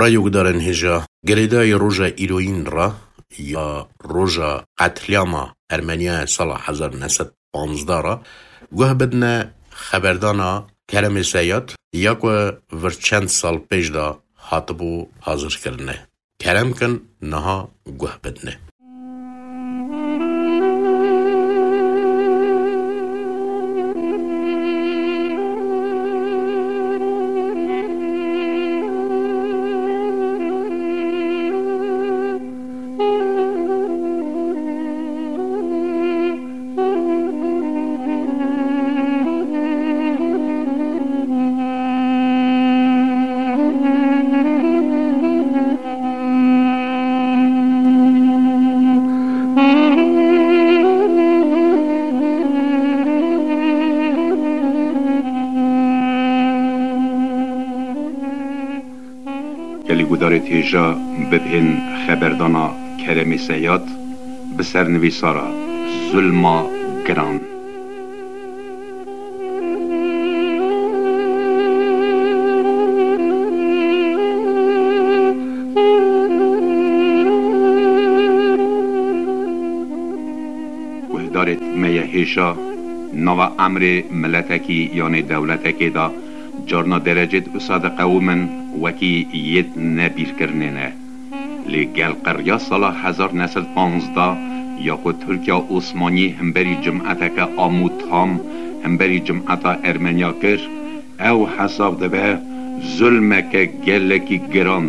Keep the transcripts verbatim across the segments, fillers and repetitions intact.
Rayokdarên hêja, girêdayî roja îroyîn re ya roja qetlîama Ermeniya sala hezar neh sed panzdeh re guh bidine xeberdana Keremê Seyad ya ku vir çend sal pêş de hatibû hazirkirine. Kerem kin niha guh bidine. Gelî gudarê têja bibhên xeberdana Keremê Seyad bi sernivîsara Zulma Giran. Guhdarêt me ye hêşa, nava emrê miletekî yanê dewletekê de carna derecêt wisa diqewimin wekî yêt nebîrkirinê ne. Lê gel qeriya sala hezar neh sed panzdeh ya ku Tirkiya Osmanî himberî cimeteke am û tam, himberî cimeta Ermeniya kir, ew hesab dibe zulmeke gelekî giran.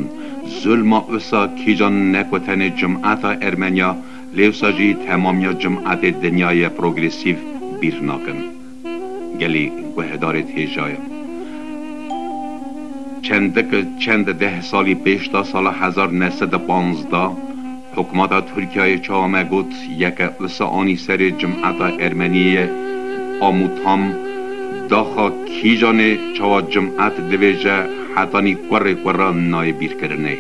Zulma wisa kîjan ne ku tenê cimeta Ermeniya, lê wisa jî temamiya cimetê dinyayê progresîf bîr nakin. Gelî guhdarêt hêja ye. Çendik, çend deh salî pêş de sala hezar neh sed û panzdeh, hikûmeta Tirkiyeyê çawa me got, yeke wisa anî serê cimeta Ermeniyê am û tam, daxa kîjanê çawa cimet divêje hetanî kurê kuran nayê bîrkirinê.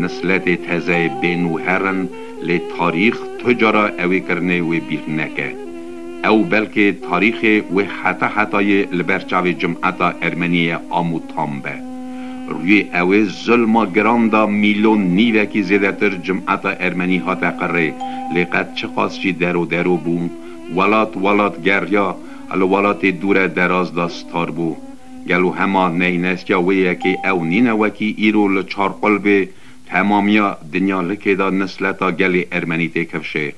Nisletê tezeyê bên û herin, lê tarîx tu cara ewê kirinê wê bîr neke. Ew belkê tarîxê wê heta hetayê li ber çavê cimeta Ermeniyê am û tam be. Rûyê ewê zulma giran da mîlyon nîvekî zêdetir cimeta Ermenî hate qirê, lê qet çiqas jî dero dero bû, welat welat geriya, li welatê dûre deraz da star bû. Gelo hema neynestiya wê yekê ew nîne wekî îro li çar qulbê temamiya dinya likê de nisleta gelê Ermenî têkifşê?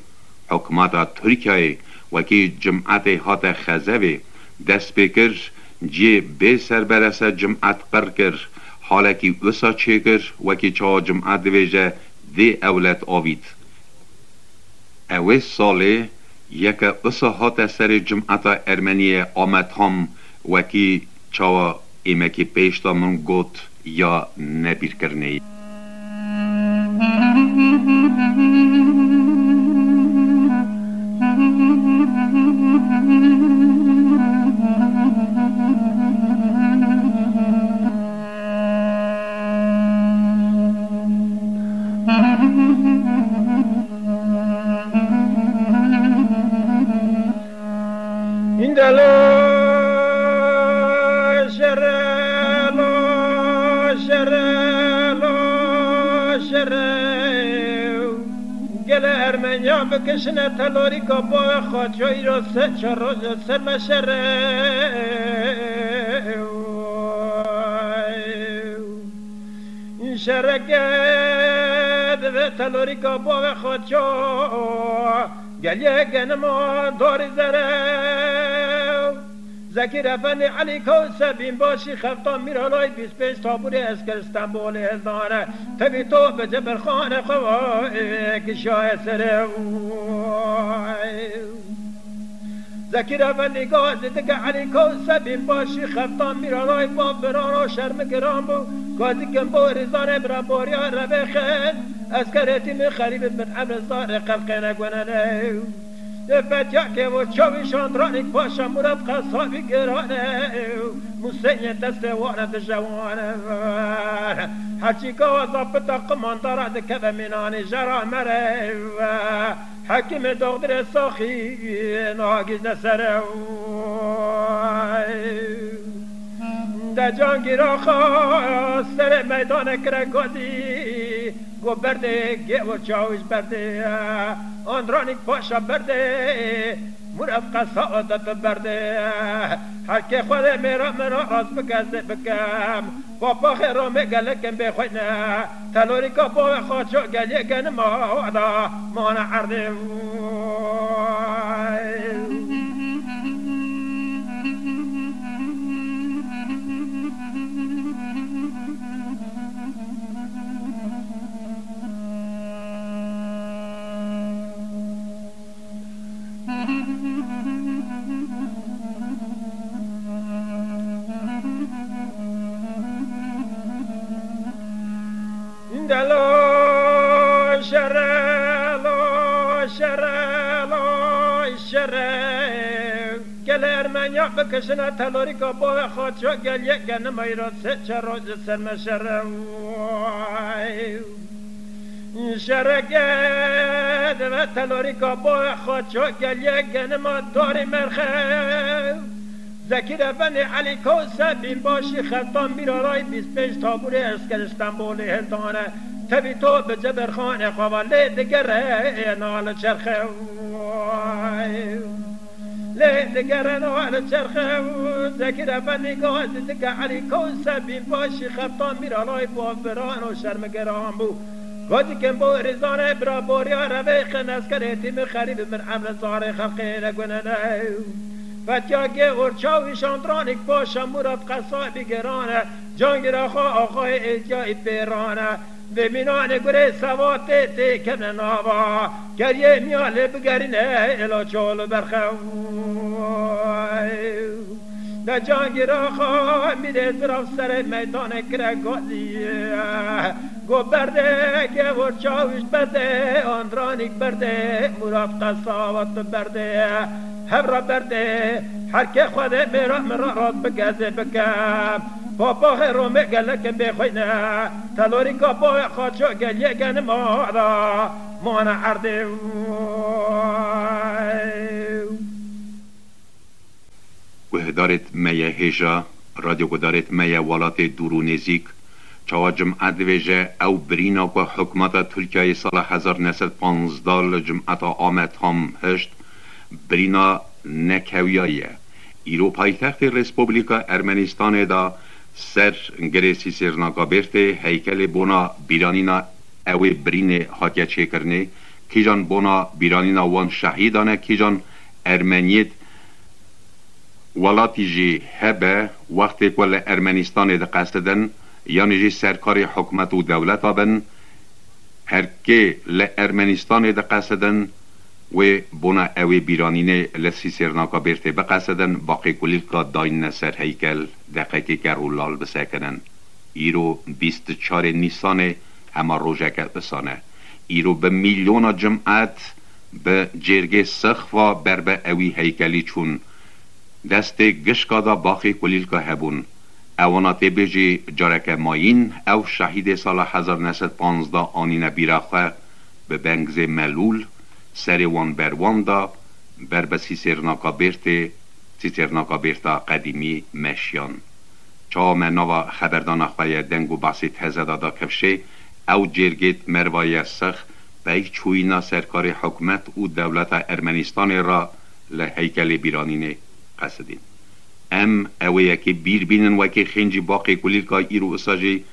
Hikûmeta Tirkiyeyê wekî cimetê hate xezevê dest pê kir, cihê bê serberese cimet qir kir, halekî wisa çêkir, wekî çawa cimet divêje dê ewlet avît. Ewê salê yeke wisa hate serê cimeta Ermeniyê ame tam, wekî çawa êmekî pêş de min got ya nebîrkirinê ye. Îndelo şere, lo şere, lo şere. Gele Ermeniya bikişine telorîka bavê xwe, ço îro se çar roj ser me şere. Şereke dibe telorîka bavê xwe ço, geliyê genima darî zere. Zekîr Efendî Elî Kewse bînbaşî xefta Mîralay bîst pênc taburê esker Stenbolê hildane. Tevî to bi Cebirxanê xwe va, ê, kişaye sere. Zekîr Efendî gazî dike Elî Kewse bînbaşî xeftan Mîralay va biraro şermi giran bû. Gazî kin bo rîzanê bira boriya revê xêr. Eskerê tîmî xerîbî bin emre zarê xelqê negunene. Ê fetiya kevo çavî şandranî paşa Murad Qesabî girane. Museyê destê wane dijewane. Herçî gawa zapita qimandara dikeve mînanî jera mere. Hekîmê doxtirê saxî nagîzne sere. De Cangîr Axa serê meydanê kire gazî, go berdê gêwir çawîş berdê, Andranîk Paşa berdê, Murad Qesa adet berdê. Herkê Xwedê mêra min ra rast bike zê bikem, papaxê Romê gelekin bê xweyne, telorîka bavê xwe ço geliyê genima da mane erdê. Delo şere, lo şere, lo şere. Gelê Ermenya bikişine telorîka bavê xwe ço geliyê genima îro sê çar roj li ser me şere. Şereke dibe telorîka bavê xwe ço geliyê genima darî merxe. Zekîr Efendî Elî Kewse bînbaşî xeltan Mîraray bîst pênc tabûrê esker Stenbolê hildane. Tevî to bi Ceberxanê xwe ve lê digere na li çerxe. Lê digere na li çerxe. Zekîr Efendî gazî dike Elî Kewse bînbaşî xeltan Mîraray bo viran û şermigeran bû. Gazî kin bo rîzanê bira boriya revê xin eskerê tîmi xerîb min emre zarê xelqê re gunene. Fetya gê orçaw û şandranîk paşa Murat Qesabî gerane, Cangîr Axa axayê êtiyayî pêrane. Vê mînanê gurê seva tê tê kevne nava, keriyê miya lê bigerîne êla çol û berxew. De Cangîr Axa mîrê zirav serê meydanê kire gazî. Go berdê, gevor çawîş berdê, Andranîk berdê, Murat Qesavat berdê, hevra berdê, herkê Xwedê mêra min ra rast bike zê bike. Papaxê Romê gelekin bê xweyne, telorîka bavê xwe ço geliyê genima da mane erdê. Guhdarêt me ye hêja, radyogudarêt me ye welatê dûr û nêzîk, çawa cum'e divêje, ew birîna ku hikûmeta Tirkiyeyê sala hezar neh sed panzdeh li cum'eta Amed ham hişt, birîna nekewiya ye. Îro paytextê Respublika Ermenistanê de ser girê Sîsêrnaka Bêrtê heykelê bona bîranîna ewê birînê hatiye çêkirinê, kîjan bona bîranîna wan şehîdan e, kîjan Ermeniyêt welatî jî hebe, wextê ku li Ermenistanê diqesidin, yanî jî serkarê hikûmet û dewleta bin, her kê li Ermenistanê diqesidin, wê bona ewê bîranînê li Sîsêrnaka Bêrtê biqesidin, baqê kulîlka dayne ser heykel, deqekê ker û lal bisekinin. Îro bîst û çarê Nîsanê hema rojeke usan e. Îro bi mîlyona cim'et bi cêrgê sixfa ber bi ewî heykelî çûn. Destê gişka de baxê kulîlka hebûn. Ewana tê bêjî careke mayîn ew şehîdê sala hezar neh sed panzdeh anîne bîra xwe, bi bengzê melûl serê wan ber wan da, ber bi Sîsêrnaka Bêrtê, Sîsêrnaka Bêrta qedîmî meşiyan. Çawa me nava xeberdana xwe ye deng û behsê teze de da kevşê, ew cêrgêt merva ye six, pey çûyîna serkarê hikûmet û dewleta Ermenistanê re li heykelê bîranînê qesidîn. Em ewê yekê bîr bînin wekî xêncî baqê kulîlka îro usa jî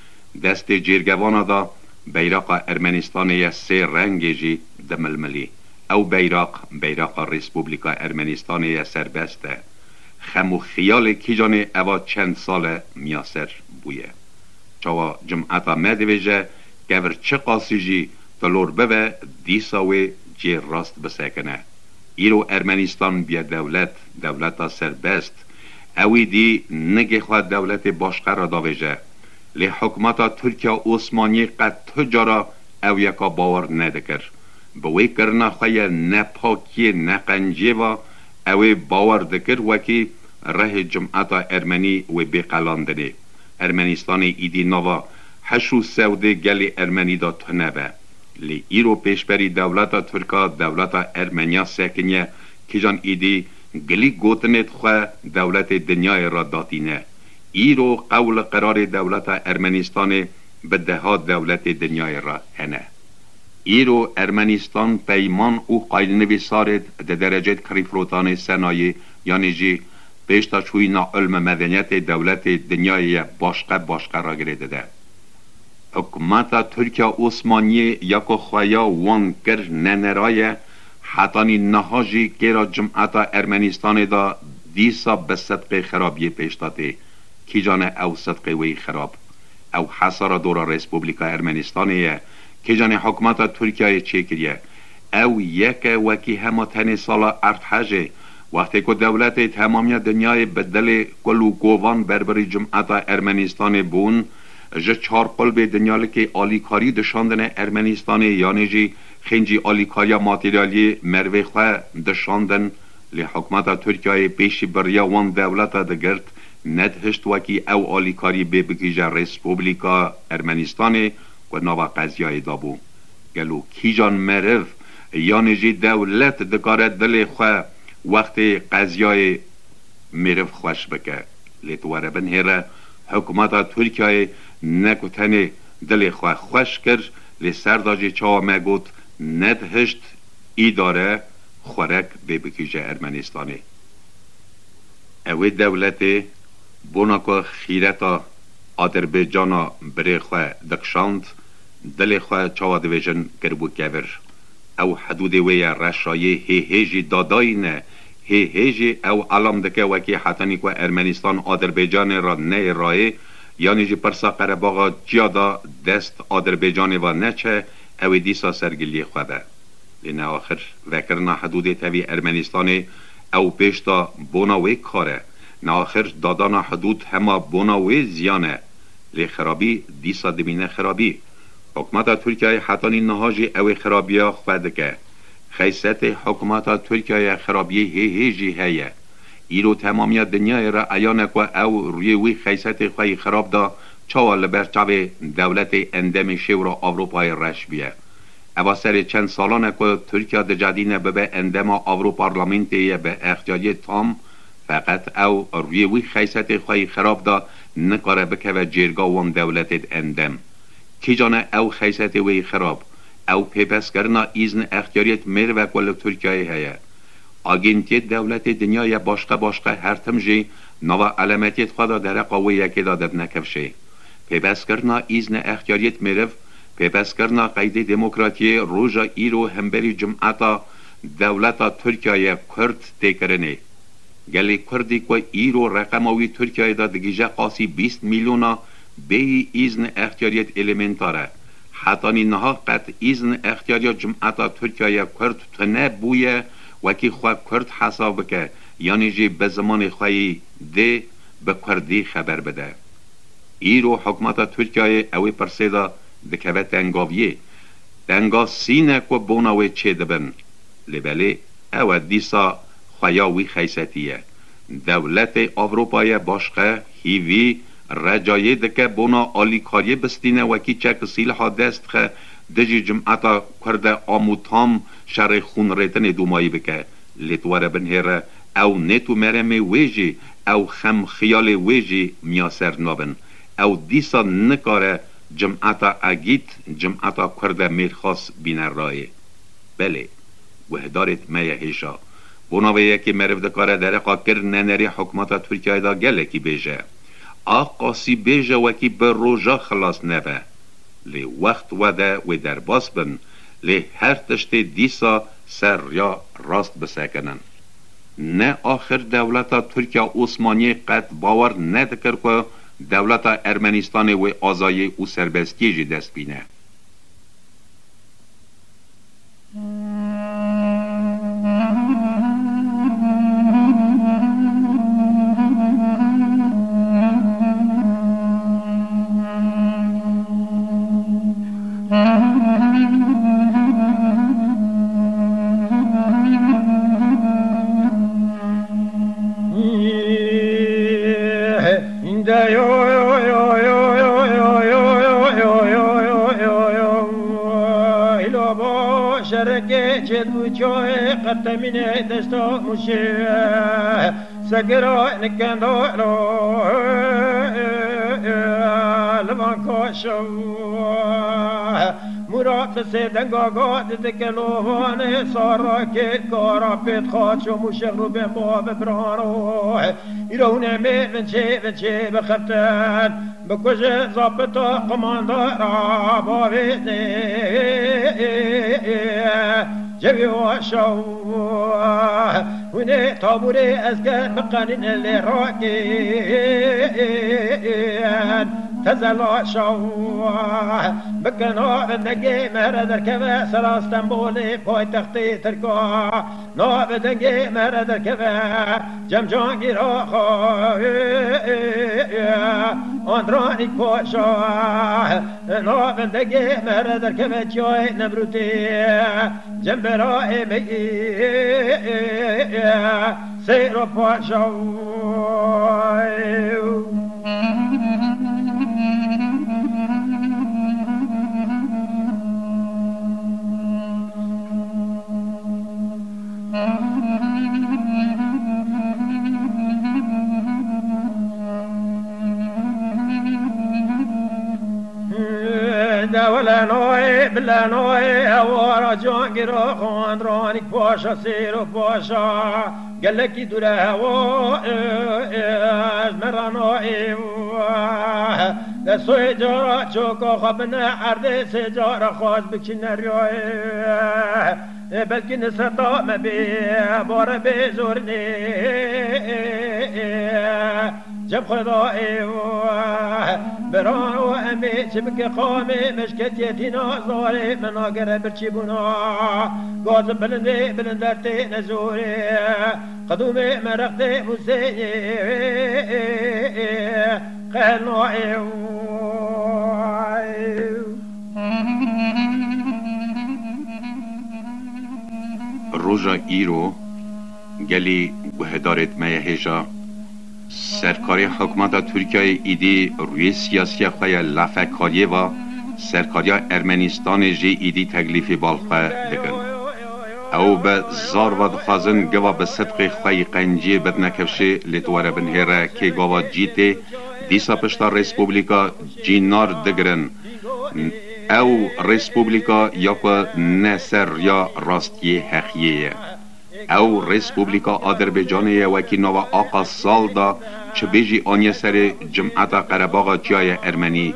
destê cêrgevana da beyraqa Ermenistanê ye sê rengê jî dimilmilî. Ew beyraq, beyraqa Respublika Ermenistanê ye serbest e. Xem û xiyalê kîjanê eva çend sal e miyaser bûye. Çawa cum'eta me divêje, kevir çiqasî jî tilor bibe, dîsa wê cê rast bisekine. Îro Ermenistan biye dewlet, dewleta serbest. Ewî dî nigê xwe dewletê başqe re davêje. Lê hikûmeta Tirkiya Osmaniyê qet tu cara ew yeka bawer nedikir. Bi wê kirina xwe ye ne pakiyê ne qenciyê ve ew ê bawer dikir wekî rihê cim'eta ermenî wê bê qelandinê. Ermenistanê îdî nava heş û sewdê gelê ermenî de tune be. Lê îro pêşberî dewleta Tirka dewleta Ermeniya sekiniye, kîjan îdî gilî gotinêt xwe dewletê dinyayê re datîne. Îro qewl û qerarê dewleta Ermenistanê bi deha dewletê dinyayê re hene. Îro Ermenistan peyman û qaynivîsarê di derecê kirîfirotanê senayê, yanî jî pêşdaçûyîna ilm û medeniyetê dewletê dinyayê ye başqe başqe re girê dide. Hikûmeta Tirkiya Osmaniyê ya ku xweya wan kir nenera ye, hetanî niha jî kêra cimeta Ermenistanê de dîsa bi sidqê xirabiyê pêş de tê. Kîjan e ew sidqê wê yî xirab? Ew hesara dora Respublika Ermenistanê ye. Kîjanê hikûmeta Tirkiyeyê çêkiriye? Ew yek e wekî hema tenê sala erdhejê, wextê ku dewletê temamiya dinyayê bi dilê kul û kovan berbirî cimeta Ermenistanê bûn, ji çar qulbê dinyalikê alîkarî dişandine Ermenistanê, yanî jî xêncî alîkariya materyalî merivê xwe dişandin, lê hikûmeta Tirkiyeyê pêşî bi riya wan dewleta digirt, nedihişt wekî ew alîkarî bê bigihîje Respublika Ermenistanê ku nava qeziyayê de bû. Gelo kîjan meriv, yanî jî dewlet dikare dilê xwe wextê qeziyayê mêriv xweş bike? Lê tu were binhêre, hikûmeta Tirkiyeyê ne ku tenê dilê xwe xweş kir, lê ser de jî çawa me got, nedihişt îdare xwerek bê bikîje Ermenistanê. Ew ê dewletê bona ku xîreta Adirbaycana birê xwe dikişand, dilê xwe çawa dibêjin kiribû kevir. Ew hidûdê wê ye reşayê hê hê jî dadayî ne, hê hê jî ew elam dike wekî hetanî ku Ermenistan Adirbaycanê re neyê rayê, yanî jî pirsa Qerebaxa çiya da dest Adirbaycanê ve neçe, ew ê dîsa sergiliyê xwe be. Lê neaxir vekirina hidûdê tevî Ermenistanê ew pêş da bona wê kar e. Neaxir dadana hidûd hema bona wê ziyan e. Lê xirabî dîsa dimîne xirabî. Hikûmeta Tirkiyeyê hetanî niha jî ew ê xirabiya xwe dike. Xeysetê hikûmeta Tirkiyeyê xirabiyê hê hê jî heye. Îro temamiya dinyayê re eyan e ku ew rûyê wî xeysetê xwe yî xirab da, çawa li ber çavê dewletê endemê Şêwra Ewropayê reş bûye. Eva serê çend salan e ku Tirkiye dicedîne bibe endema Ewroparlamentê ye bi extiyariyê tam, feqet ew rûyê wî xeysetê xwe yî xirab da, nikare bikeve cêrga wan dewletêd endem. Kîjan e ew xeysetê wê yî xirab? Ew pêbestkirina îzn extiyariyêt mêriv e ku li Tirkiyeyê heye. Agentiyê dewletê dinya ye başqe başqe her tim jî nava elemetiyêt xwe de dereqa wê yekê de didine kifşê. Pêbestkirina îzne extiyariyêt mêriv, pêbestkirina qeydê demokratiyê roja îro hemberî cumeta dewleta Tirkiyeyê Kurd tê kirinê. Gelê Kurdî ku îro reqema wî Tirkiyeyê de digihîje qasî bîst milyona bêyî îzn extiyariyêt elementar e. Hetanî niha qet îzn extiyariya cumeta Tirkiyeyê Kurd tune bûye wekî xwe Kurd hesab bike, yanî jî bi zimanê xwe yî dê bi Kurdî xeber bide. Îro hikûmeta Tirkiyeyê ew ê pirsê de dikeve tengaviyê. Tengasî ne ku bona wê çêdibin. Lê belê ew e dîsa xweya wî xeysetî ye. Dewletê Ewropayê başqe hîvî recayê dike bona alîkariyê bistîne wekî çek sîliha dest dixe dijî cimeta Kurde a mû tam şerê xûnrêtinê dûmayî bike. Lê tu were binhêre, ew nêt û meremê wê jî, ew xem xiyalê wê jî miyaser nabin. Ew dîsa nikare cimeta egît, cimeta Kurde mêrxas bîne rayê. Belê, guhdarêt me ye hêşa. Bona vê yekê meriv dikare dereqa kir nenerê hikûmeta Tirkiyeyê de gelekî bêje. A qasî bêje wekî bi roja xilas nebe. Lê wext wede wê derbas bin, lê her tiştê dîsa ser riya rast bisekinin. Ne axir dewleta Tirkiya Osmaniyê qet bawer nedikir ku dewleta Ermenistanê wê azayî û serbestiyê jî dest bîne. Şerekê çêt bû çoyê qertemînê desta mûşê. Segiro nikendo lo, li van kaşo. Murat li sê denga got dike lo vanê sara kêt kara pêt xaço mûşex rûbên bo bi birano. Îro hûn ê mêvin çê, vin çê bixeftin. Bikujin zapita qumandara bavênê. Cevî waşa hûnê taburê esker biqenîne lê rakên. Tezelaşa bikin avindegê mere derkeve sera Stenbolê paytextê Tirka. Navê dengê me re derkeve, cem cangîra xwe, Andranîk Paşa. Navê dengê me re derkeve, çiyayê Nemrûdê, cem berayê me, Seyro Paşa. Dewlenoyê, bilenoyê, ewara cangiro, xandranîk paşa, sêro paşa, gelekî dûre hewa, ez meranoyê, de soyê cara çoka xwe bine erdê, sê cara xwaz biçine riyayê. Ê, belkî niseta me bê, bare bê zorinê. Cem Xwedayê, birano em ê çi bike qamê, meşketiye tîna zarê, me nagere birçîbûna. Gazim bilindê, bilinder tê nezorê. Qedûmê me rextê Huseyê, qelnayê. Roja îro, gelî guhdarêt me ye hêja, serkarê hikûmeta Tirkiyeyê îdî rûyê siyasiya xwe ya lafekariyê va, serkariya Ermenistanê jî îdî teklîfê bal xwe dikin. Ew bi zar ve dixwazin geva bi sidqê xwe yî qenciyê bidine kevşê, lê tu were binhêre kê gava cî tê, dîsa pişta Respublika cînar digirin. Ew Respublika ya ku ne ser riya rastiyê heqiyê ye. Ew Respublika Aderbecanê ye, wekî nava Aqa Sal da çi bêjî aniye serê cimeta Qerebaxa çiyaye Ermenî.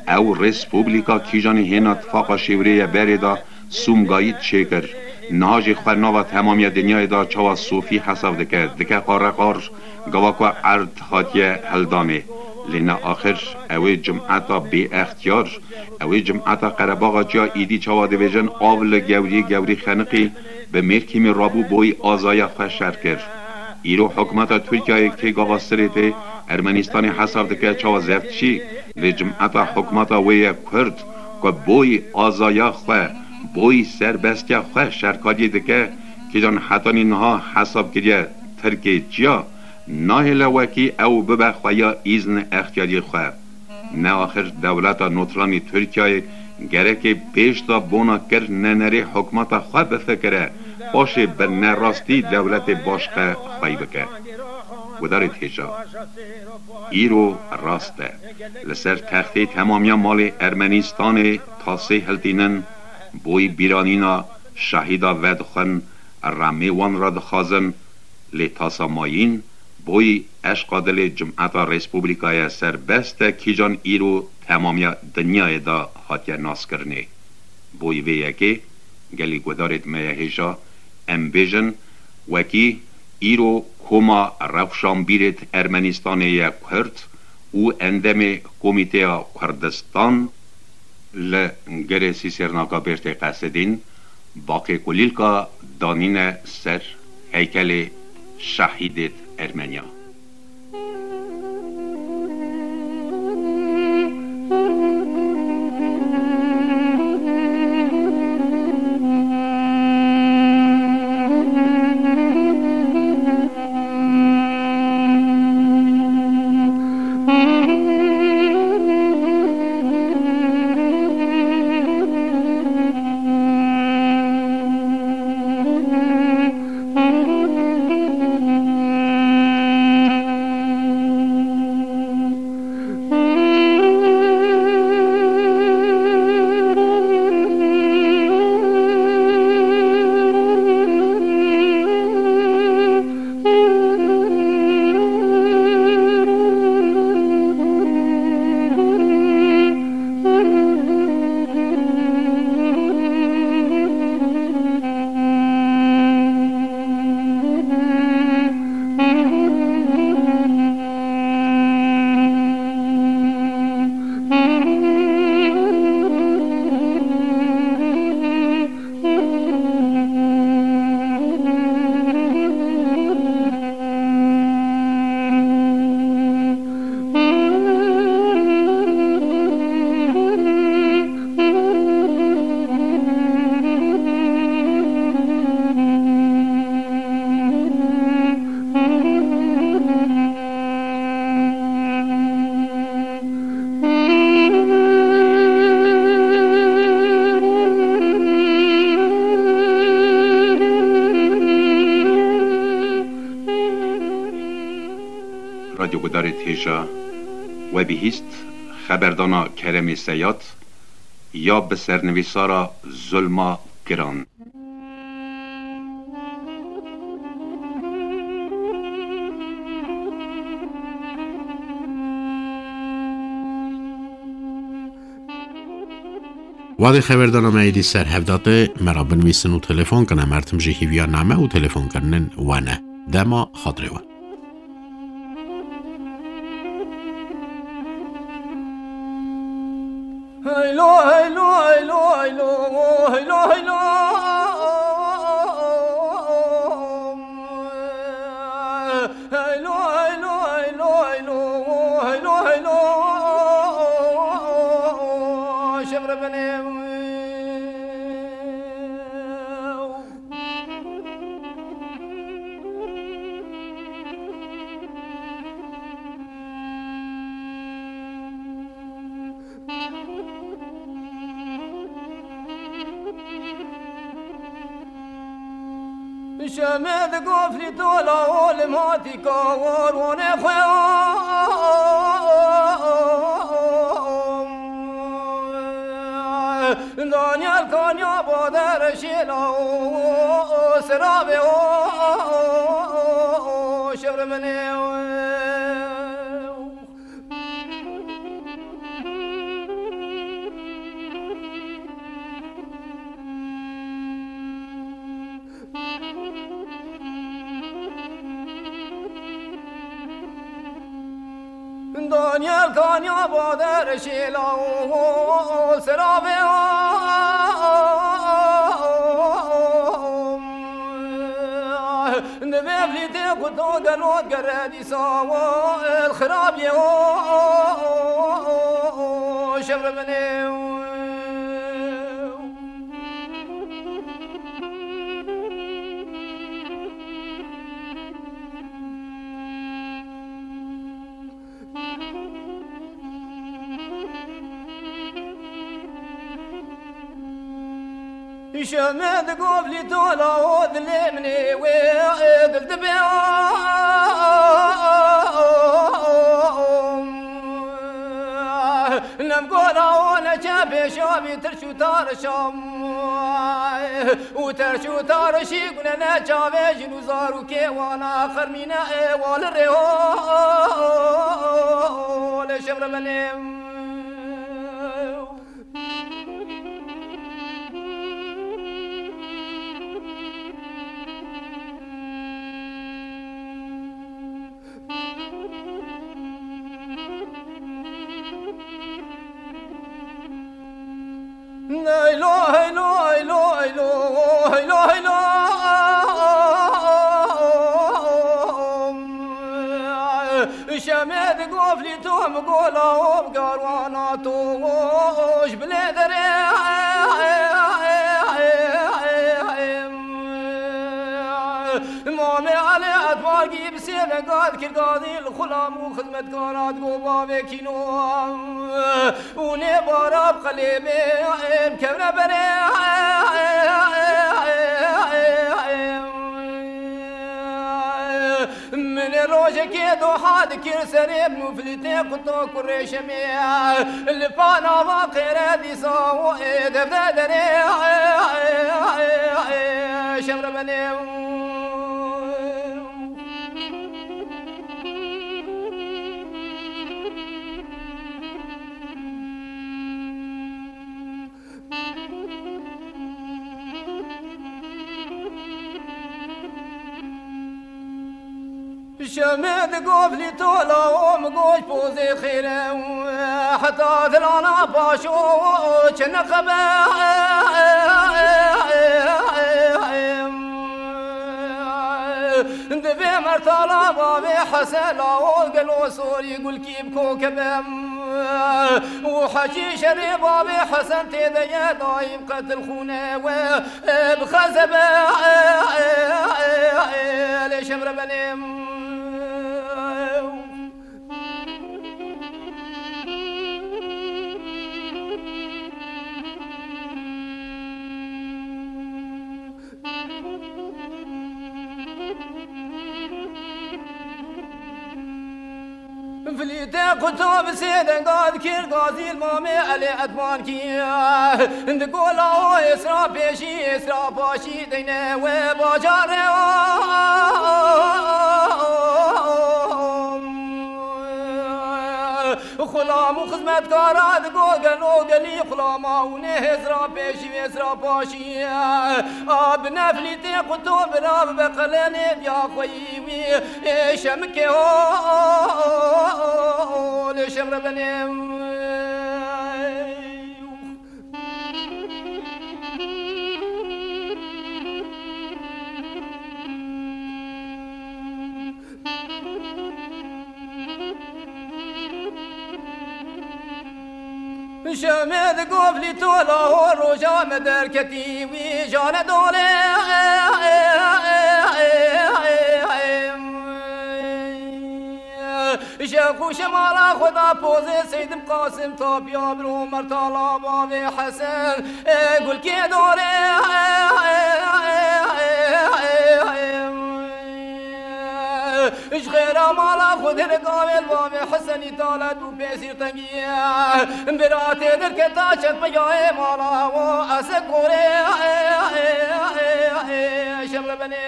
Ew Respublika kîjanî hêna tifaqa şêwirê ye berê da Sumgayît çêkir. Niha jî xwe nava temamiya dinyayê da çawa sofî hesab dike, dike qareqar, gava ku erd hatiye hildanê. Lê ne axir, ew ê cimeta bêextiyar, ew ê cimeta Qerebaxa çiya îdî çawa dibêjin, av li gewrî gewrî xeniqî, bi mêrkîmê rabû boyî azaya xwe şer kir. Îro hikûmeta Tirkiyeyê kê gava sirê tê Ermenistanê hesab dike çawa zeft çî, lê cimeta hikûmeta wê ye Kurd, ku boyî azaya xwe, boyî serbestiya xwe şerkariyê dike, kîjan hetanî niha hesab kiriye Tirkê çiya, nahêle wekî ew bibe xweya îzn extiyariyê xwe. Ne axir dewleta notranî Tirkiyeyê gerekê pêş de bona kir nenerê hikûmeta xwe bifikire, paşê bi nerastî dewletê başqe xwey bike. Gudarê hêja. Îro rast e. Li ser textê temamiya malê Ermenistanê tasê hiltînin, boyî bîranîna şehîda vedixwin, remê wan re dixwazin, lê tasa mayîn, boyî eşqa dilê cimeta Respublikaya serbest e, kîjan îro temamiya dinyayê de hatiye naskirinê. Boyî vê yekê, gelî guhdarêt me ye hêja, em bêjin, wekî îro Koma Rewşanbîrêt Ermenistanê ye Kurd û endemê Komîteya Kurdistan li Girê Sîsêrnaka Bêrtê Qesidîn, baqê kulîlka danîne ser heykelê şehîdêt Ermeniya. Guhdarêt hêja, we bihîst xeberdana Keremê Seyad ya bi sernivîsara Zulma Giran. Wadê xeberdana me êdî ser hev date, me re binivîsin û telefon kine. Mertim jî hîviya name û telefonkirinên we ne. Dema xatirê we. Heylo, heylo, heylo, heylo, heylo, heylo. Heylo, heylo, heylo, heylo, heylo, heylo. Şevre benê. Şemê di gofrî tola û li matî kawarwanê xwe. Danyal kanya bader şêla û siravê û şevriminê. Danyal kanya bader şêla û siravê. Divê vlîtê ku to gelo gere dîsa wo el xirabiyê o şevriminê. Şemê di govlî tola o dilê min ê wê dil dibe. Nem gola o neçe pêşa vî tirş û tarişam. Û terş û tarişî gune ne çavê jin û zarokê wana xermîne ê wali rê o. Lê şevre belê. Eylo, eylo, eylo, eylo, eylo, eylo. Şemê di goflî to mi gola o bi garwana to ji bilê derê. Mamê Elê Etbargî bi sê ve gad kir gadî li xulam û xizmetkara digo bavê kîno û nê bara bi qelê bê em kevne berê. Min ê rojekê doha dikir serê min û filîtê quto kurê şemê. Li panava qêre dîsa û ê devde derê. Şevre benê. Şemê di govlî tola o mi goş pozê xêre û heta dilana paşo çi neqebe. Divê mertala bavê Hesela o gelo sorî gulkî bi kokebem. û Hecî şerê bavê Hesen tê de ye daîm qetil xûne we. Bi xezebe lê şevre benê. Filîtê quto bi sê denga dikir gazî li mamê Elê Edman kî. Di gola o êsra pêşî êsra paşî deyne we bajarê o. Xulam û xizmetkara digo gelo gelî xulama û nê hêzra pêşî û hêzra paşî. A bi neflîtê quto bira bi beqelenê diya xweyî wî. Ê şemikê o, lê şemre benê. Şemê di goflî tola ho roja me derketî wî jane dolê. Şev xûşe mala xwe da pozê Seydim Qasim tapiya bir Omer tala bavê Hesen. Gulkê dore. Ji xêra mala xwe dê gavê bavê Hesenî talet û pêsîr tengiye. Biratê derketa çekmeyayê mala wo ese korê. Şev re benê.